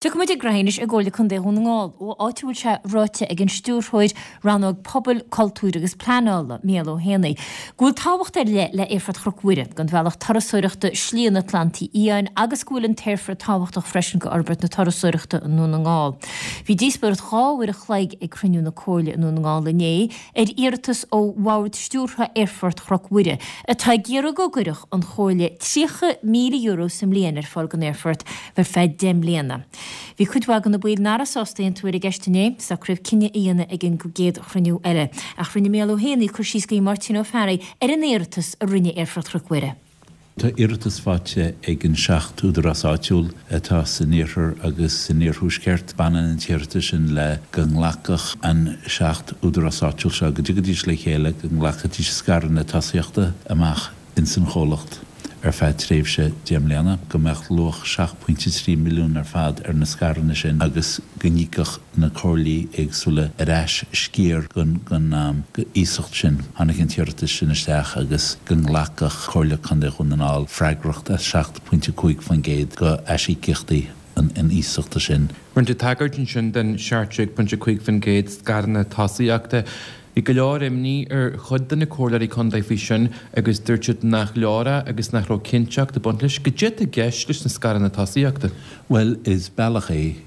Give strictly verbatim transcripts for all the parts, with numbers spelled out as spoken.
Tiocfaidh muid ag anois i gComhairle Contae Dhún na nGall, ó áit a bhfuil sé ráite ag an stiúrthóir rannóg pobail, cultúir agus pleanála, Mícheál Ó hÉanaí, go bhfuil tábhacht ar leith le Aerfort Chnoc Mhuire, don bhealach turasóireachta Slí an Atlantaigh Fhiáin agus go bhfuil an t-aerfort tábhachtach freisin go fhorbairt na turasóireachta i nDún na nGall. Bhí díospóireacht dhá uair a chloig ag cruinniú na Comhairle i nDún na nGall inné ar iarratas ó Bhord Stiúrtha Aerfort Chnoc Mhuire, atá ag iarraidh go gcuirfeadh an Chomhairle tríocha míle euro sa mbliain ar fáil don aerfort ar feadh deich mbliana. Bhí cuid mhaith de na baill nach raibh sásta aontú ar an gceist inné, socraíodh cinneadh a dhéanamh ag an gcéad chruinniú eile. Ach rinne Mícheál Ó hÉanaí cur síos do Mháirtín Ó Fearraigh ar an iarratas a rinne Aerfort Chnoc Mhuire. Tá iarratas faighte ag an seacht údarás áitiúil atá san iarthar agus san iarthuaisceart. Baineann an t-iarratas sin le go nglacfadh an seacht údarás áitiúil seo, go dtiocfaidís le chéile, go nglacfaidís scaireanna tosaíochta amach ins an chomhlacht ar feadh tréimhse deich mbliana, go mbeadh luach seacht pointe trí milliún ar fad ar na scaireanna sin agus go n-íocfadh na comhairlí éagsúla ar ais sciar den iasacht sin. Tháinig an t-iarratas sin isteach agus go nglacfadh Comhairle Contae Dhún na nGall freagracht as seacht pointe cúig faoin gcéad de aisíocaíochtaí an iasachta sin. Rinne tú tagairt ansin den seacht déag pointe cúig faoin gcéad scaireanna tosaíochta. Bhí go leor imní ar chuid de na comhairleoirí contae faoi sin agus dúirt siad nach leor é agus nach raibh cinnteacht ag baint leis. Goidé atá i gceist leis na scaireanna tosaíochta? Bhuel, is bealach é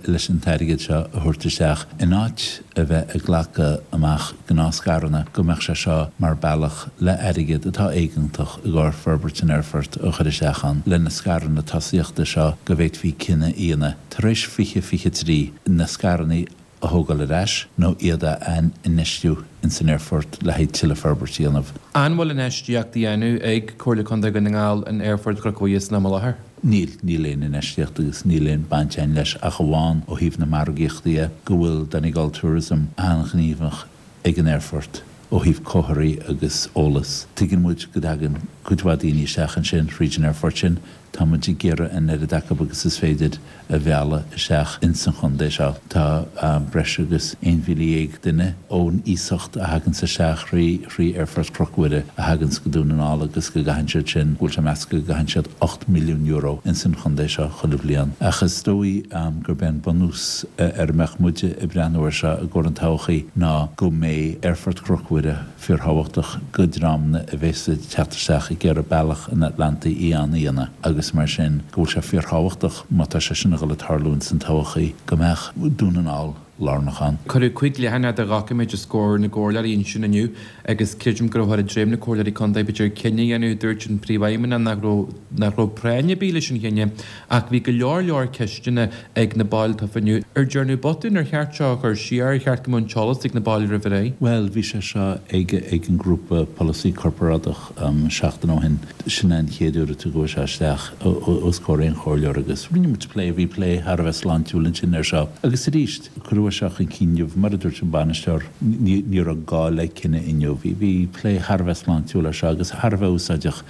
leis an t-airgead seo a thabhairt isteach, in áit a bheith ag glacadh amach gnáthscaireanna, go mbeadh sé seo mar bealach le airgead atá éigeantach i gcomhair forbairt an aerfoirt a chur isteach ann, le na scaireanna tosaíochta seo go bhféadfaí cinneadh a dhéanamh tar éis fiche fiche trí na scaireanna a thógáil ar ais nó iad a infheistiú ins an aerfort le haghaidh tuilleadh forbairt a dhéanamh. An bhfuil infheistíocht á dhéanamh ag Comhairle Contae Dhún na nGall in Aerfort Chnoc Mhuire san am i láthair? Níl, níl aon infheistíocht agus níl aon baint againn leis ach amháin ó thaobh na margaíochta dhe, go bhfuil Donegal Tourism an-ghníomhach ag an aerfort ó thaobh comharthaí agus eolas. Tuigeann muid go dtagann cuid mhaith daoine isteach ansin thríd an aerfort sin. Tá muid ag iarraidh an oiread acu agus is féidir a mhealladh isteach ins an chontae seo. Tá breis agus aon mhíle dhéag duine ón iasacht a thaganns isteach thrí thrí Aerfort Chnoc Mhuire a thaganns go Dún na nGall agus go gcaitheann siad sin, go bhfuil sé measta go gcaitheann siad ocht milliún euro ins an chontae seo chuile bhliain. Ach is dóigh gurb é an bunús ar a mbeadh muide ag breathnú air seo i gcomhair an todhchaí ná go mbeidh Aerfort Chnoc Mhuire fíorthábhachtach go dreamanna a bheas ag teacht isteach ag iarraidh bealach an Atlantaigh Fhiáin a dhéanamh agus mar sin go bhfuil sé fíorthábhachtach má tá sé sin a dhul ag tarlú ins an todhchaí go mbeadh Dún na nGall lárnach ann. Cuireadh cúig leathanach de dhoiciméid os comhair na gcomhairleoirí ansin inniu agus creidim go raibh ar dhroim na comhairleoirí contae b'fhéidir cinneadh a dhéanamh. Dúirt an Príomhfheidhmeannach nach raibh nach raibh práinn ar bith leis an chinneadh ach bhí go leor leor ceisteanna ag na baill tofa inniu. Ar dearnadh botún? Ar cheart seo a chur siar? Ar cheart go mbeadh an t-eolas ag na baill roimh ré? Bhuel, bhí sé seo ag ag an ngrúpa polasaí corparáideach seachtain ó shin. Sin é an chéad uair a tugadh seo isteach os comhair aon chomhairleoir agus rinne muid plé, bhí plé thar a bheith sláintiúil ansin air seo. Agus arís, cuireadh é seo chun cinn inniu, mar a dúirt an bainisteoir, ní ní raibh gá le cinneadh inniu. Bhí bhí plé thar a bheith sláintiúil air seo agus thar a bheith úsáideach.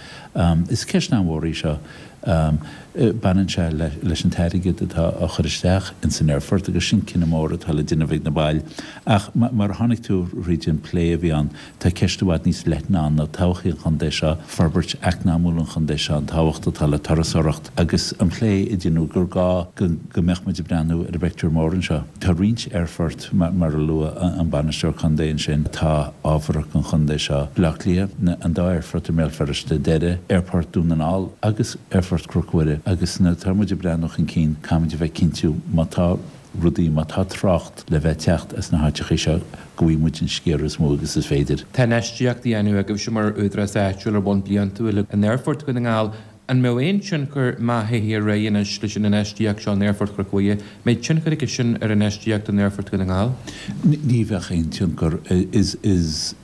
Is ceist an-mhór í seo. Baineann sé leis an t-airgead atá á chur isteach ins an aerfort agus sin cinneadh mór atá le déanamh ag na baill. Ach mar a chonaic tú thríd an plé a bhí ann, tá ceist i bhfad níos leithne ann ná todhchaí an chontae seo, forbairt eacnamúil an chontae seo, an tábhacht atá le turasóireacht agus an plé a deineadh gur gá go mbeadh muid ag breathnú ar an bpictiúr mór anseo. Tá roinnt aerfort, mar a luaigh an bainisteoir contae ansin, atá ábhartha don chontae seo, Baile Átha Cliath, an dá aerfort i mBéal Feirste, Doire, Aerfort Dhún na nGall agus Aerfort Chnoc Mhuire agus nuair atá muid ag breathnú chun cinn, caithfimid a bheith cinntiú má tá rudaí, má tá trácht le bheith ag teacht as na háiteachaí seo go bhfaighidh muid an sciar is mó agus is féidir. Tá infheistíocht á dhéanamh agaibhse mar údarás áitiúil ar bhonn bliantúil in Aerfort Dhún na nGall. An mbeadh aon tionchar má théann ar aghaidh anois leis an infheistíocht seo in Aerfort Chnoc Mhuire, mbeidh tionchar aige sin ar infheistíocht in Aerfort Dhún na nGall? Ní bheadh aon tionchar. Is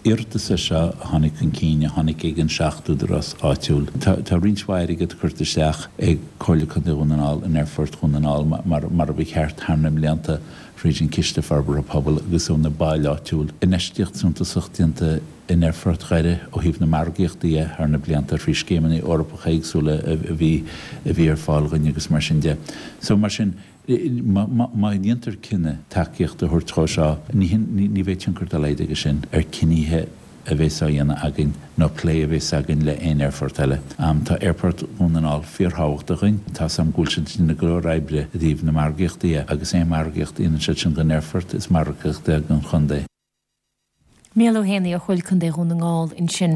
iarratas é seo a tháinig chun cinn, a tháinig ag an seacht údarás áitiúil. Tá roinnt mhaith airgead curtha isteach ag Comhairle Contae Dhún na nGall in Aerfort Dhún na nGall mar a ba cheart thar na mblianta thríd an Ciste Forbartha Pobail agus ó na baill áitiúil. Infheistíocht suntasach déanta in Aerfort Dhoire ó thaobh na margaíochta dhe thar na blianta thrí scéimeanna Eorpacha éagsúla a bhí a bhí ar fáil dhuinn agus mar sin de. So mar sin, má dhéantar cinneadh tacaíocht a thabhairt dhó seo, ní ní bheidh tionchar dá laghad aige sin ar cinnithe a bheas á dhéanamh againn nó plé a bheas againn le aon aerfort eile. Tá Aerfort Dhún na nGall fíorthábhachtach dúinn. Tá 's agam go bhfuil siad ag déanamh go leor oibre i dtaobh na margaíochta dhe agus aon margaíocht a dhéanann siad sin don aerfort is margaíocht é don chontae. Mícheál Ó hÉanaí ó Chomhairle Contae Dhún na nGall ansin.